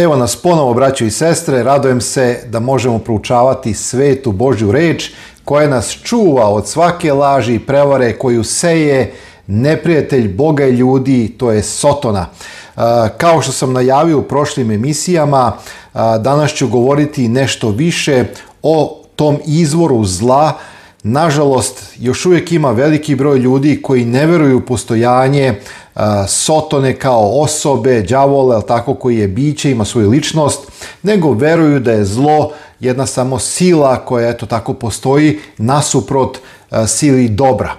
Evo nas ponovo, braćo i sestre, radujem se da možemo proučavati svetu Božju reč koja nas čuva od svake laži i prevare koju seje neprijatelj Boga i ljudi, to je Sotona. Kao što sam najavio u prošlim emisijama, danas ću govoriti nešto više o tom izvoru zla. Nažalost, još uvijek ima veliki broj ljudi koji ne veruju u postojanje Sotone kao osobe, đavola, tako, koji je biće, ima svoju ličnost, nego veruju da je zlo jedna samo sila koja eto tako postoji nasuprot sili dobra.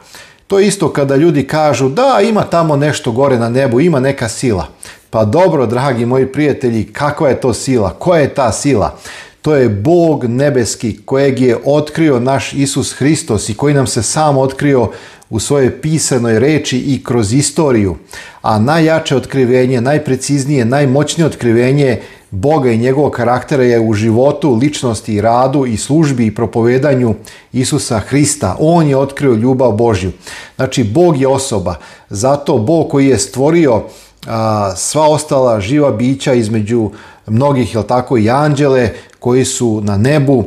To je isto kada ljudi kažu da ima tamo nešto gore na nebu, ima neka sila. Pa dobro, dragi moji prijatelji, kakva je to sila? Koja je ta sila? To je Bog nebeski kojeg je otkrio naš Isus Hristos i koji nam se sam otkrio u svojoj pisanoj reči i kroz istoriju. A najjače otkrivenje, najpreciznije, najmoćnije otkrivenje Boga i njegovog karaktera je u životu, ličnosti i radu i službi i propovedanju Isusa Hrista. On je otkrio ljubav Božju. Znači, Bog je osoba. Zato Bog koji je stvorio sva ostala živa bića između mnogih, jel tako, i anđele koji su na nebu.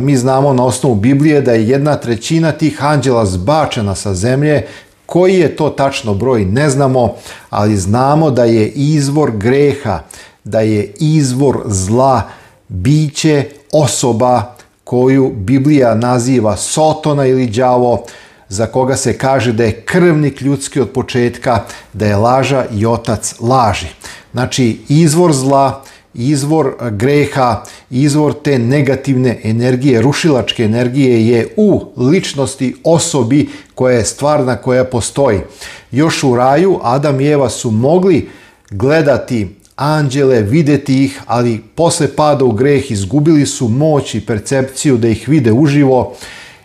Mi znamo na osnovu Biblije da je 1/3 tih anđela zbačena sa zemlje. Koji je to tačno broj ne znamo, ali znamo da je izvor greha, da je izvor zla biće, osoba koju Biblija naziva Sotona ili đavo, za koga se kaže da je krvnik ljudski od početka, da je laža i otac laži. Znači, izvor zla, izvor greha, izvor te negativne energije, rušilačke energije je u ličnosti, osobi koja je stvarna, koja postoji. Još u raju Adam i Eva su mogli gledati anđele, vidjeti ih, ali posle pada u greh izgubili su moć i percepciju da ih vide uživo.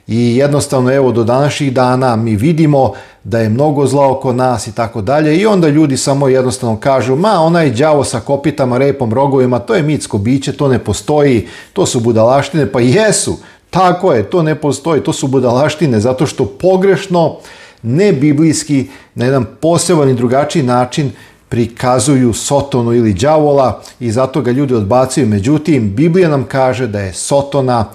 I jednostavno, evo, do današnjih dana mi vidimo da je mnogo zla oko nas i tako dalje, i onda ljudi samo jednostavno kažu, ma onaj đavo sa kopitama, repom, rogovima, to je mitsko biće, to ne postoji, to su budalaštine. Pa jesu, tako je, to ne postoji, to su budalaštine zato što pogrešno, ne biblijski, na jedan poseban i drugačiji način prikazuju Sotonu ili đavola i zato ga ljudi odbacuju. Međutim, Biblija nam kaže da je Sotona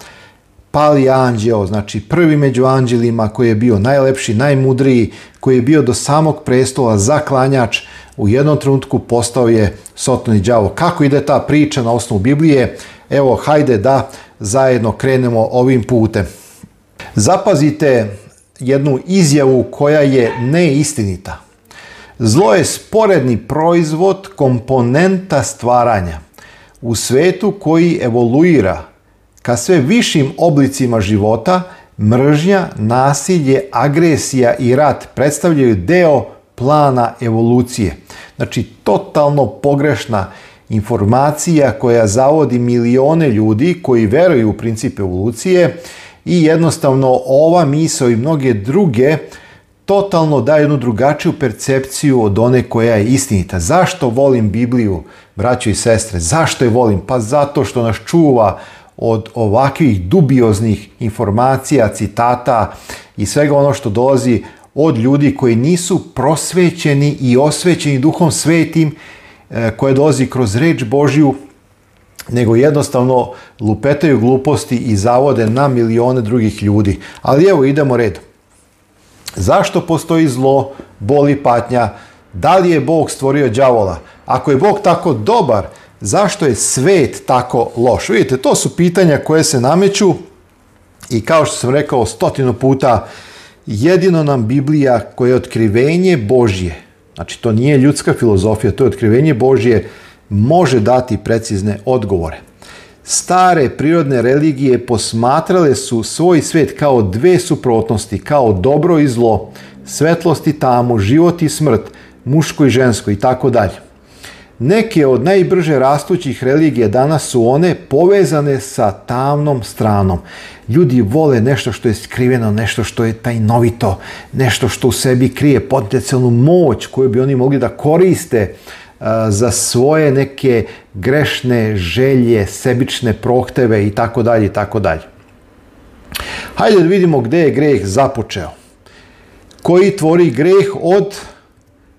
pali anđeo, znači prvi među anđelima, koji je bio najlepši, najmudriji, koji je bio do samog prestola zaklanjač, u jednom trenutku postao je Soton i đavo. Kako ide ta priča na osnovu Biblije? Evo, hajde da zajedno krenemo ovim putem. Zapazite jednu izjavu koja je neistinita. Zlo je sporedni proizvod, komponenta stvaranja u svetu koji evoluira ka sve višim oblicima života. Mržnja, nasilje, agresija i rat predstavljaju deo plana evolucije. Znači, totalno pogrešna informacija koja zavodi milione ljudi koji veruju u princip evolucije, i jednostavno ova misao i mnoge druge totalno daje jednu drugačiju percepciju od one koja je istinita. Zašto volim Bibliju, braćo i sestre? Zašto je volim? Pa zato što nas čuva od ovakvih dubioznih informacija, citata i svega ono što dolazi od ljudi koji nisu prosvećeni i osvećeni Duhom Svetim, koje dolazi kroz reč Božju, nego jednostavno lupetaju gluposti i zavode na milione drugih ljudi. Ali evo, idemo redom. Zašto postoji zlo, bol i patnja? Da li je Bog stvorio đavola? Ako je Bog tako dobar, zašto je svet tako loš? Vidite, to su pitanja koje se nameću i kao što sam rekao 100 puta, jedino nam Biblija, koja je otkrivenje Božje, znači to nije ljudska filozofija, to je otkrivenje Božje, može dati precizne odgovore. Stare prirodne religije posmatrale su svoj svet kao dve suprotnosti, kao dobro i zlo, svetlost i tamu, život i smrt, muško i žensko i tako dalje. Neke od najbrže rastućih religija danas su one povezane sa tamnom stranom. Ljudi vole nešto što je skriveno, nešto što je tajnovito, nešto što u sebi krije potencijalnu moć koju bi oni mogli da koriste za svoje neke grešne želje, sebične prohteve i tako dalje i tako dalje. Hajde da vidimo gdje je greh započeo. Koji tvori greh? Od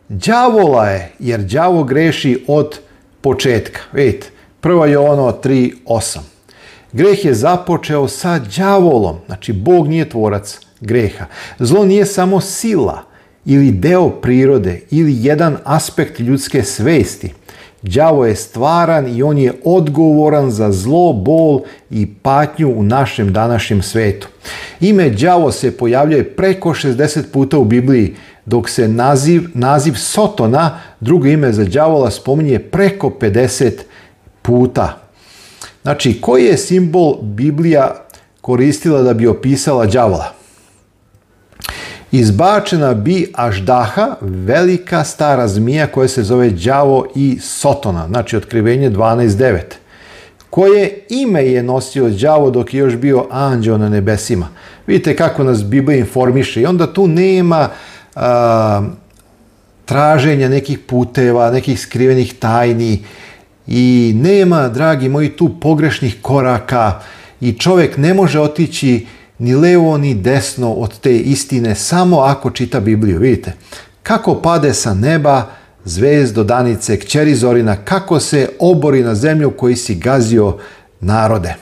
đavola je, jer đavo greši od početka. Vidite, 1. Jovano 3:8. Greh je započeo sa đavolom, znači Bog nije tvorac greha. Zlo nije samo sila ili deo prirode ili jedan aspekt ljudske svesti. Đavo je stvaran i on je odgovoran za zlo, bol i patnju u našem današnjem svetu. Ime đavo se pojavljuje preko 60 puta u Bibliji, dok se naziv Sotona, drugo ime za đavola, spominje preko 50 puta. Znači, koji je simbol Biblija koristila da bi opisala đavola? Izbačena bi Aždaha, velika stara zmija koja se zove đavo i Sotona, znači Otkrivenje 12:9. Koje ime je nosio đavo dok je još bio anđeo na nebesima? Vidite kako nas Biblija informiše i onda tu nema traženja nekih puteva, nekih skrivenih tajni i nema, dragi moji, tu pogrešnih koraka i čovjek ne može otići ni levo ni desno od te istine samo ako čita Bibliju. Vidite kako pade sa neba zvezdo danice, kćeri Zorina, kako se obori na zemlju koji si gazio narode.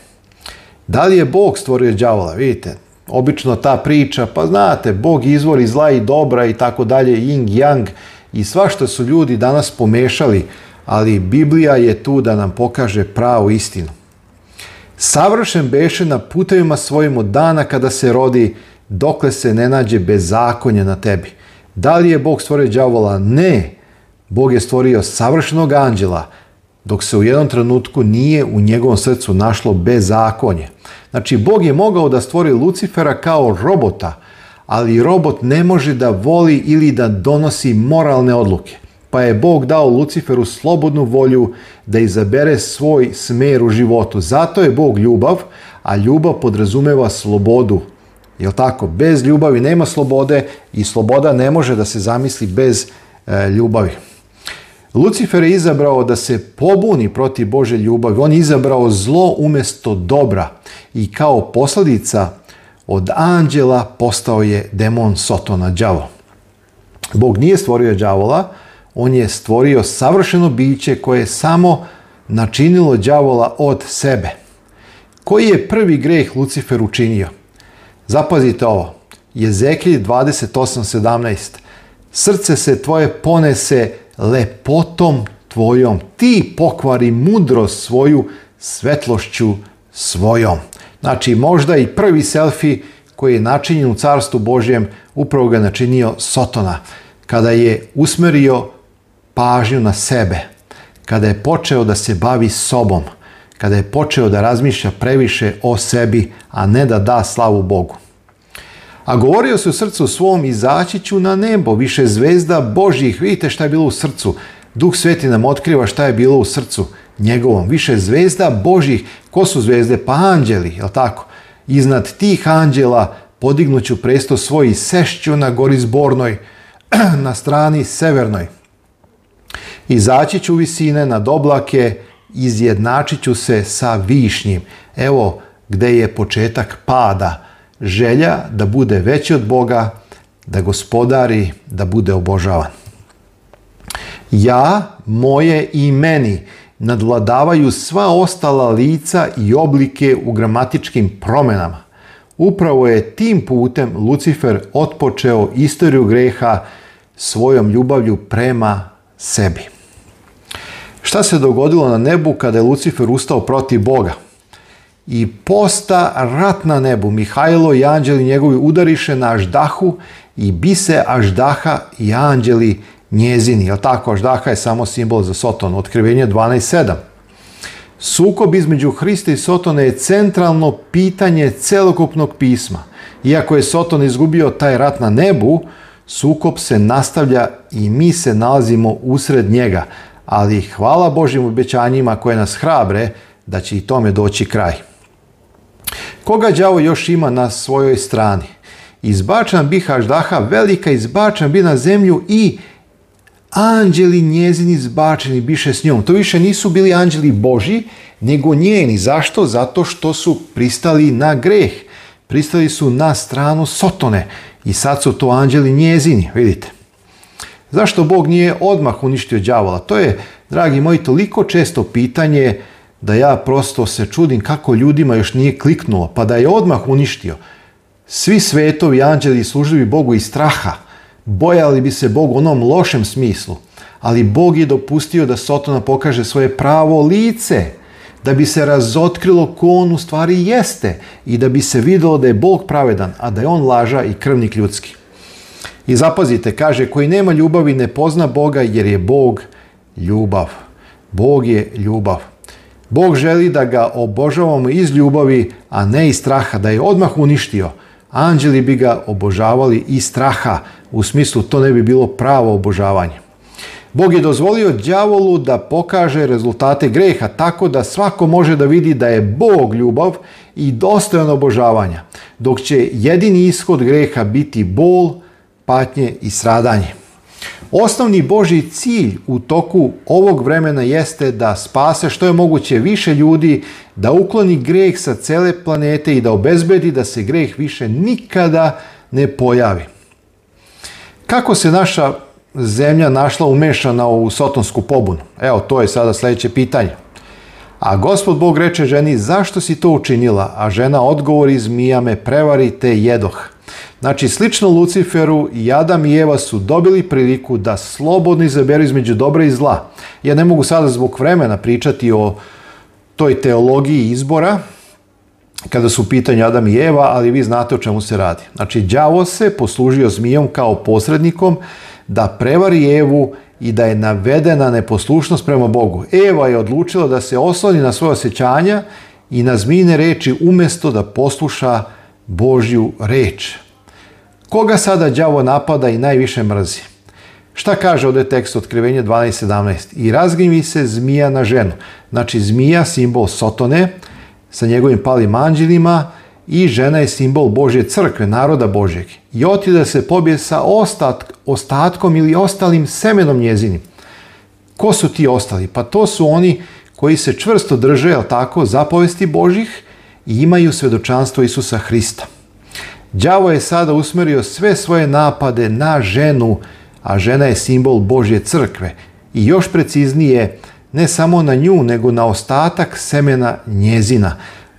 Da li je Bog stvorio đavola? Vidite, obično ta priča, pa znate, Bog izvori zla i dobra i tako dalje, yin yang i svašta su ljudi danas pomešali, ali Biblija je tu da nam pokaže pravu istinu. Savršen beše na putevima svojim od dana kada se rodi, dokle se ne nađe bezakonje na tebi. Da li je Bog stvorio đavola? Ne. Bog je stvorio savršenog anđela, dok se u jednom trenutku nije u njegovom srcu našlo bezakonje. Znači, Bog je mogao da stvori Lucifera kao robota, ali robot ne može da voli ili da donosi moralne odluke. Pa je Bog dao Luciferu slobodnu volju da izabere svoj smer u životu. Zato je Bog ljubav, a ljubav podrazumeva slobodu. Jel tako? Bez ljubavi nema slobode i sloboda ne može da se zamisli bez ljubavi. Lucifer je izabrao da se pobuni protiv Božje ljubavi. On je izabrao zlo umjesto dobra i kao posljedica od anđela postao je demon Sotona, đavo. Bog nije stvorio đavola, on je stvorio savršeno biće koje je samo načinilo đavola od sebe. Koji je prvi greh Lucifer učinio? Zapazite ovo. Jezekilj 28:17. Srce se tvoje ponese lepotom tvojom. Ti pokvari mudrost svoju svetlošću svojom. Znači, možda i prvi selfie koji je načinjen u Carstvu Božjem, upravo ga načinio Sotona. Kada je usmerio pažnju na sebe, kada je počeo da se bavi sobom, kada je počeo da razmišlja previše o sebi, a ne da da slavu Bogu. A govorio se u srcu svom, izaći ću na nebo, više zvezda Božjih. Vidite šta je bilo u srcu. Duh Sveti nam otkriva šta je bilo u srcu njegovom. Više zvezda Božjih. Ko su zvezde? Pa anđeli, jel tako? Iznad tih anđela podignuću presto svoj i sešću na gori zbornoj, na strani severnoj. Izaći ću visine nad oblake, izjednačit ću se sa višnjim. Evo gde je početak pada. Želja da bude veći od Boga, da gospodari, da bude obožavan. Ja, moje i meni nadvladavaju sva ostala lica i oblike u gramatičkim promjenama. Upravo je tim putem Lucifer otpočeo istoriju greha svojom ljubavlju prema sebi. Šta se dogodilo na nebu kada je Lucifer ustao protiv Boga? I posta rat na nebu. Mihajlo i anđeli njegovi udariše na Aždahu i bise Aždaha i anđeli njezini. Jel tako? Aždaha je samo simbol za Soton. Otkrivenje 12:7. Sukob između Hrista i Sotona je centralno pitanje celokupnog pisma. Iako je Soton izgubio taj rat na nebu, sukob se nastavlja i mi se nalazimo usred njega. Ali hvala Božjim obećanjima koje nas hrabre da će i tome doći kraj. Koga đavo još ima na svojoj strani? Izbačan bih Aždaha, velika izbačan bi na zemlju i anđeli njezini izbačeni biše s njom. To više nisu bili anđeli Božji, nego njeni. Zašto? Zato što su pristali na greh. Pristali su na stranu Sotone i sad su to anđeli njezini, vidite. Zašto Bog nije odmah uništio đavola? To je, dragi moji, toliko često pitanje da ja prosto se čudim kako ljudima još nije kliknulo, pa da je odmah uništio. Svi svetovi, anđeli služili Bogu iz straha, bojali bi se Bogu u onom lošem smislu, ali Bog je dopustio da Sotona pokaže svoje pravo lice, da bi se razotkrilo ko on u stvari jeste i da bi se vidjelo da je Bog pravedan, a da je on laža i krvnik ljudski. I zapazite, kaže, koji nema ljubavi ne pozna Boga jer je Bog ljubav. Bog je ljubav. Bog želi da ga obožavamo iz ljubavi, a ne iz straha, da je odmah uništio. Anđeli bi ga obožavali iz straha, u smislu to ne bi bilo pravo obožavanje. Bog je dozvolio đavolu da pokaže rezultate greha tako da svako može da vidi da je Bog ljubav i dostojan obožavanja, dok će jedini ishod greha biti bol, patnje i stradanje. Osnovni Božji cilj u toku ovog vremena jeste da spase što je moguće više ljudi, da ukloni greh sa cele planete i da obezbedi da se greh više nikada ne pojavi. Kako se naša zemlja našla umešana u sotonsku pobunu? Evo, to je sada sljedeće pitanje. A Gospod Bog reče ženi, zašto si to učinila? A žena odgovori, zmija me prevari te jedoh. Znači, slično Luciferu, i Adam i Eva su dobili priliku da slobodno izaberu između dobra i zla. Ja ne mogu sada zbog vremena pričati o toj teologiji izbora, kada su u pitanju Adam i Eva, ali vi znate o čemu se radi. Znači, đavo se poslužio zmijom kao posrednikom da prevari Evu i da je navedena neposlušnost prema Bogu. Eva je odlučila da se osloni na svoje osjećanja i na zmijine reči umjesto da posluša Božju reč. Koga sada đavo napada i najviše mrzi? Šta kaže ovdje tekst Otkrivenja 12.17? I razgnjevi se zmija na ženu. Znači, zmija, simbol Sotone, sa njegovim palim anđelima, i žena je simbol Božje crkve, naroda Božjeg. I otide se pobije sa ostatkom ili ostalim semenom njezinim. Ko su ti ostali? Pa to su oni koji se čvrsto drže, jel tako, zapovesti Božjih i imaju svjedočanstvo Isusa Hrista. Đavo je sada usmjerio sve svoje napade na ženu, a žena je simbol Božje crkve. I još preciznije, ne samo na nju, nego na ostatak semena njezina.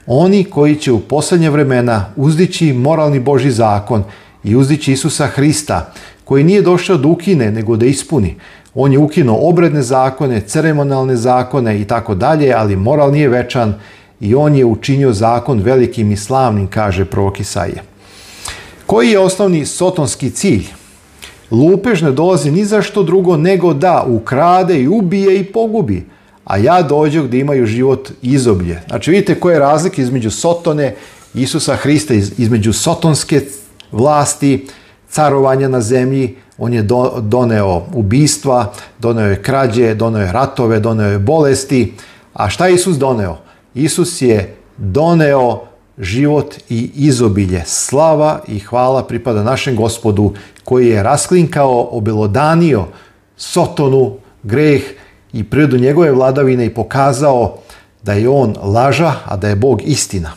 Oni koji će u posljednje vremena uzdići moralni Božji zakon i uzdići Isusa Hrista, koji nije došao da ukine, nego da ispuni. On je ukinuo obredne zakone, ceremonalne zakone i tako dalje, ali moral nije večan i on je učinio zakon velikim i slavnim, kaže prorok Isaija. Koji je osnovni sotonski cilj? Lupež ne dolazi ni za što drugo nego da ukrade i ubije i pogubi, a ja dođu gdje imaju život izoblje. Znači, vidite koja je razlika između Sotone i Isusa Hrista, između sotonske vlasti, carovanja na zemlji. On je doneo ubistva, doneo je krađe, doneo je ratove, doneo je bolesti. A šta je Isus doneo? Isus je doneo život i izobilje. Slava i hvala pripada našem Gospodu koji je rasklinkao, obelodanio Sotonu, greh i prirodu njegove vladavine i pokazao da je on laža, a da je Bog istina.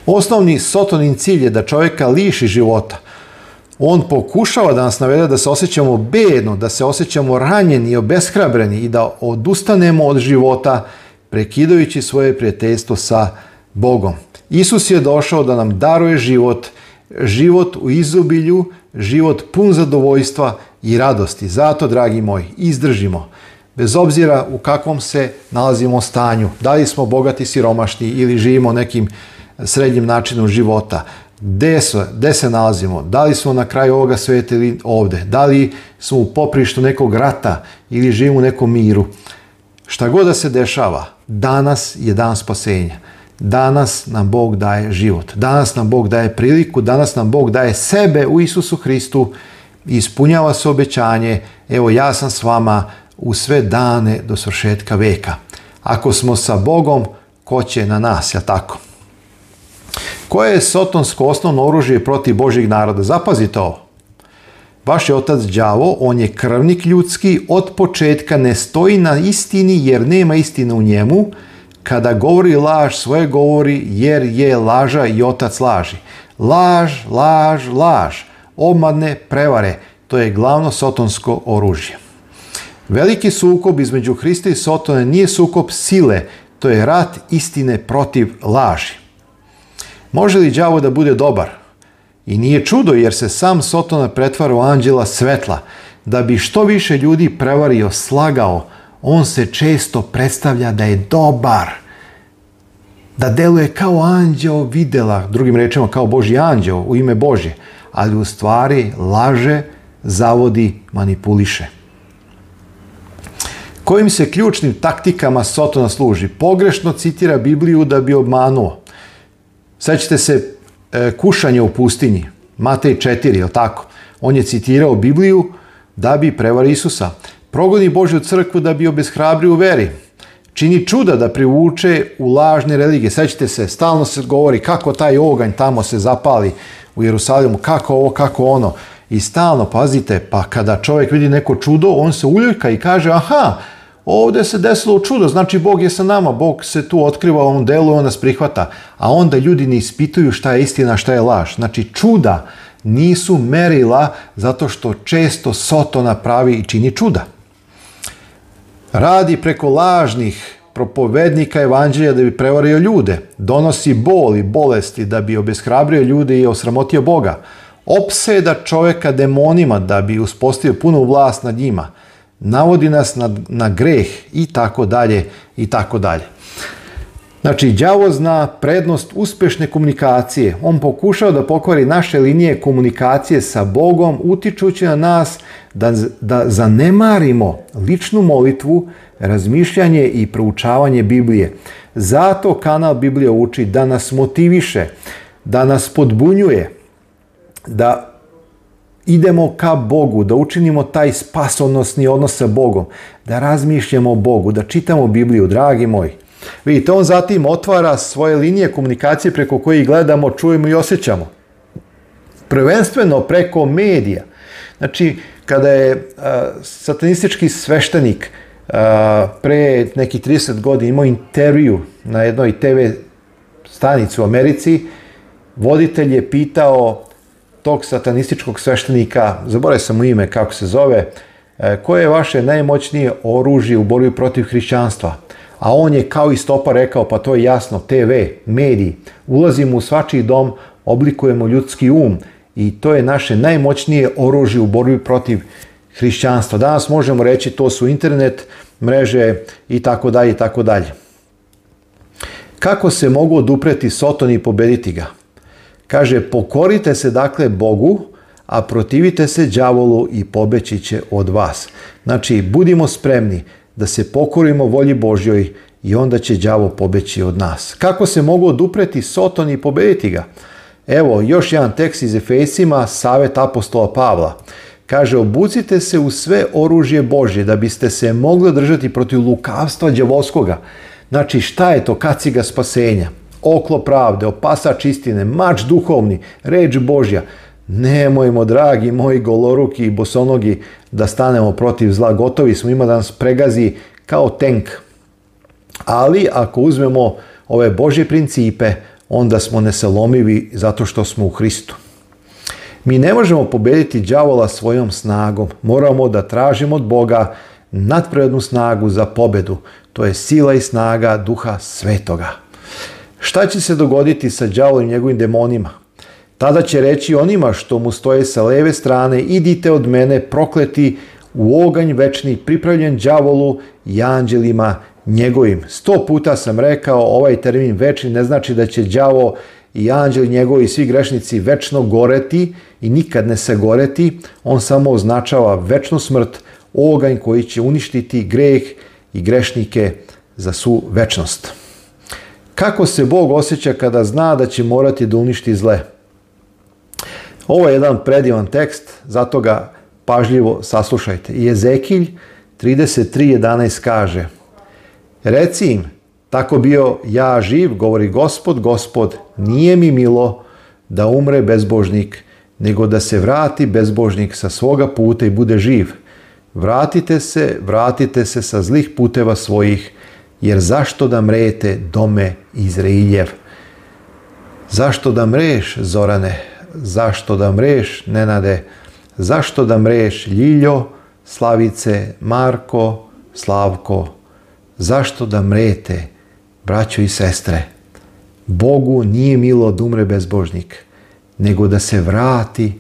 Osnovni Sotonin cilj je da čovjeka liši života. On pokušava da nas navede da se osjećamo bedno, da se osjećamo ranjeni i obeshrabreni i da odustanemo od života prekidajući svoje prijateljstvo sa Bogom. Isus je došao da nam daruje život, život u izobilju, život pun zadovoljstva i radosti. Zato, dragi moji, izdržimo. Bez obzira u kakvom se nalazimo stanju, da li smo bogati, siromašni ili živimo nekim srednjim načinom života, gde se nalazimo, da li smo na kraju ovoga svijeta ili ovdje, da li smo u poprištu nekog rata ili živimo u nekom miru. Šta god da se dešava, danas je dan spasenja. Danas nam Bog daje život. Danas nam Bog daje priliku. Danas nam Bog daje sebe u Isusu Hristu i ispunjava se obećanje. Evo, ja sam s vama u sve dane do svršetka veka. Ako smo sa Bogom, ko će na nas, jel tako? Koje je sotonsko osnovno oružje protiv Božjeg naroda? Zapazite ovo. Vaš je otac đavo, on je krvnik ljudski, od početka ne stoji na istini jer nema istine u njemu. Kada govori laž, svoje govori jer je laža i otac laži. Laž, laž, laž, obmane, prevare. To je glavno sotonsko oružje. Veliki sukob između Hrista i Sotone nije sukob sile, to je rat istine protiv laži. Može li đavo da bude dobar? I nije čudo jer se sam Sotona pretvara u anđela svetla. Da bi što više ljudi prevario, slagao, on se često predstavlja da je dobar. Da deluje kao anđeo videla, drugim rečima kao Božji anđeo u ime Božje, ali u stvari laže, zavodi, manipuliše. Kojim se ključnim taktikama Sotona služi? Pogrešno citira Bibliju da bi obmanuo. Sećate se kušanja u pustinji, Matej 4, je li tako? On je citirao Bibliju da bi prevario Isusa. Progoni Božju crkvu da bi obeshrabrio u veri. Čini čuda da privuče u lažne religije. Sećate se, stalno se govori kako taj oganj tamo se zapali u Jerusalimu, kako ovo, kako ono. I stalno, pazite, pa kada čovjek vidi neko čudo, on se uljurka i kaže, aha, ovdje se desilo čudo, znači Bog je sa nama, Bog se tu otkriva u ovom delu i on nas prihvata. A onda ljudi ne ispituju šta je istina, šta je laž. Znači čuda nisu merila zato što često Sotona pravi i čini čuda. Radi preko lažnih propovednika evanđelja da bi prevario ljude. Donosi bol i bolesti da bi obeshrabrio ljude i osramotio Boga. Opseda čovjeka demonima da bi uspostavio punu vlast nad njima. Navodi nas na greh i tako dalje i tako dalje. Znači, đavo zna prednost uspješne komunikacije. On pokušao da pokvari naše linije komunikacije sa Bogom, utičući na nas da zanemarimo ličnu molitvu, razmišljanje i proučavanje Biblije. Zato kanal Biblija uči da nas motiviše, da nas podbunjuje, da idemo ka Bogu, da učinimo taj spasonosni odnos sa Bogom, da razmišljamo o Bogu, da čitamo Bibliju, dragi moji. Vidite, on zatim otvara svoje linije komunikacije preko kojih gledamo, čujemo i osjećamo. Prvenstveno preko medija. Znači, kada je satanistički sveštenik pre nekih 30 godina imao intervju na jednoj TV stanici u Americi, voditelj je pitao tog satanističkog sveštenika, zaboravio sam mu ime kako se zove, koje je vaše najmoćnije oružje u borbi protiv hrišćanstva? A on je kao i stopa rekao, pa to je jasno, TV, mediji, ulazimo u svačiji dom, oblikujemo ljudski um i to je naše najmoćnije oružje u borbi protiv hrišćanstva. Danas možemo reći to su internet, mreže i tako dalje i tako dalje. Kako se mogu odupreti Sotoni i pobediti ga? Kaže, pokorite se dakle Bogu, a protivite se đavolu i pobeći će od vas. Znači, budimo spremni da se pokorimo volji Božjoj i onda će đavo pobeći od nas. Kako se mogu odupreti Sotoni i pobediti ga? Evo, još jedan tekst iz Efesima, savjet apostola Pavla. Kaže, obucite se u sve oružje Božje da biste se mogli održati protiv lukavstva đavolskoga. Znači, šta je to kaciga spasenja? Oklo pravde, opasač istine, mač duhovni, reč Božja. Nemojmo, dragi moji goloruki i bosonogi, da stanemo protiv zla. Gotovi smo, ima da nas pregazi kao tenk. Ali ako uzmemo ove Božje principe, onda smo nesalomivi zato što smo u Hristu. Mi ne možemo pobediti đavola svojom snagom. Moramo da tražimo od Boga nadprirodnu snagu za pobedu. To je sila i snaga Duha Svetoga. Šta će se dogoditi sa đavolom i njegovim demonima? Tada će reći onima što mu stoje sa leve strane, idite od mene prokleti u oganj večni pripravljen đavolu i anđelima njegovim. 100 puta sam rekao, ovaj termin večni ne znači da će đavo i anđeli njegovi i svi grešnici večno goreti i nikad ne se goreti. On samo označava večnu smrt, oganj koji će uništiti greh i grešnike za svu večnost. Kako se Bog osjeća kada zna da će morati da uništi zle? Ovo je jedan predivan tekst, zato ga pažljivo saslušajte. I Ezekilj 33:11 kaže: Reci im, tako bio ja živ, govori Gospod, nije mi milo da umre bezbožnik, nego da se vrati bezbožnik sa svoga puta i bude živ. Vratite se sa zlih puteva svojih, jer zašto da mrete, dome Izrailjev? Zašto da mreš, Zorane? Zašto da mreš, Nenade? Zašto da mreš, Ljiljo? Slavice, Marko, Slavko, zašto da mrete, braćo i sestre? Bogu nije milo da umre bezbožnik, nego da se vrati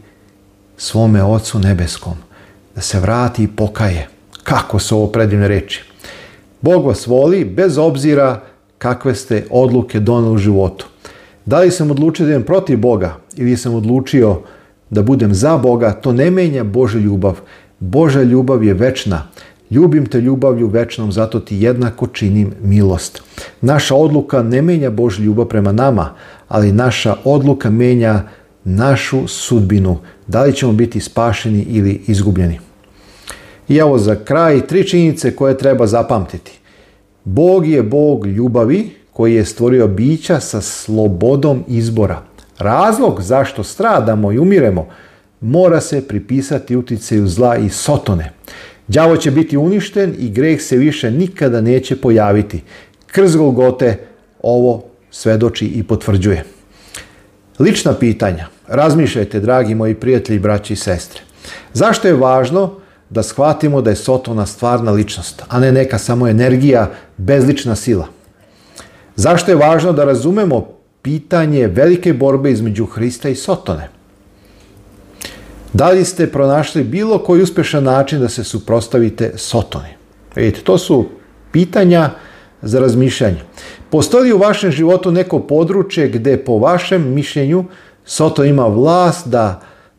svome Ocu nebeskom, da se vrati i pokaje. Kako su ovo predivne reči. Bog vas voli bez obzira kakve ste odluke doneli u životu. Da li sam odlučio da idem protiv Boga ili sam odlučio da budem za Boga, to ne menja Božja ljubav. Božja ljubav je večna. Ljubim te ljubavlju večnom, zato ti jednako činim milost. Naša odluka ne menja Božju ljubav prema nama, ali naša odluka menja našu sudbinu. Da li ćemo biti spašeni ili izgubljeni. I evo za kraj 3 činjenice koje treba zapamtiti. Bog je Bog ljubavi koji je stvorio bića sa slobodom izbora. Razlog zašto stradamo i umiremo mora se pripisati uticaju zla i Sotone. Đavo će biti uništen i greh se više nikada neće pojaviti. Krst Golgote ovo svedoči i potvrđuje. Lična pitanja. Razmišljajte, dragi moji prijatelji, braći i sestre. Zašto je važno da shvatimo da je Sotona stvarna ličnost, a ne neka samo energija, bezlična sila? Zašto je važno da razumemo pitanje velike borbe između Hrista i Sotone? Da li ste pronašli bilo koji uspješan način da se suprotstavite Sotoni? Vidite, to su pitanja za razmišljanje. Postoji li u vašem životu neko područje gdje po vašem mišljenju Soton ima vlast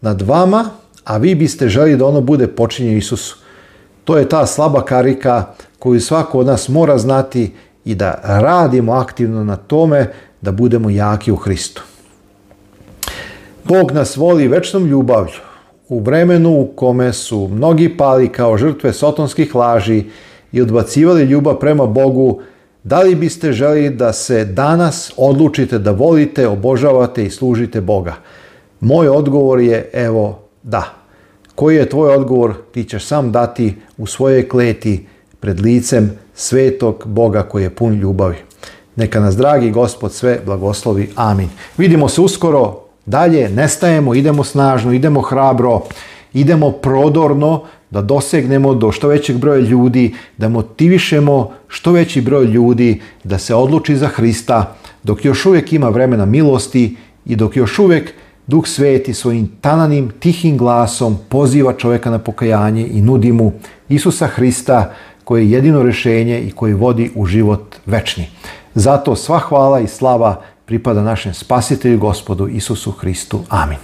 nad vama, a vi biste želi da ono bude počinjeno Isusu? To je ta slaba karika koju svako od nas mora znati i da radimo aktivno na tome da budemo jaki u Hristu. Bog nas voli večnom ljubavlju. U vremenu u kome su mnogi pali kao žrtve sotonskih laži i odbacivali ljubav prema Bogu, da li biste želi da se danas odlučite da volite, obožavate i služite Boga? Moj odgovor je evo da. Koji je tvoj odgovor? Ti ćeš sam dati u svojoj kleti pred licem svetog Boga koji je pun ljubavi. Neka nas dragi Gospod sve blagoslovi. Amin. Vidimo se uskoro. Dalje nestajemo, idemo snažno, idemo hrabro, idemo prodorno da dosegnemo do što većeg broja ljudi, da motivišemo što veći broj ljudi da se odluči za Hrista, dok još uvijek ima vremena milosti i dok još uvijek Duh Sveti svojim tananim, tihim glasom poziva čovjeka na pokajanje i nudi mu Isusa Hrista koji je jedino rješenje i koji vodi u život večni. Zato sva hvala i slava pripada našem Spasitelju Gospodu Isusu Hristu. Amin.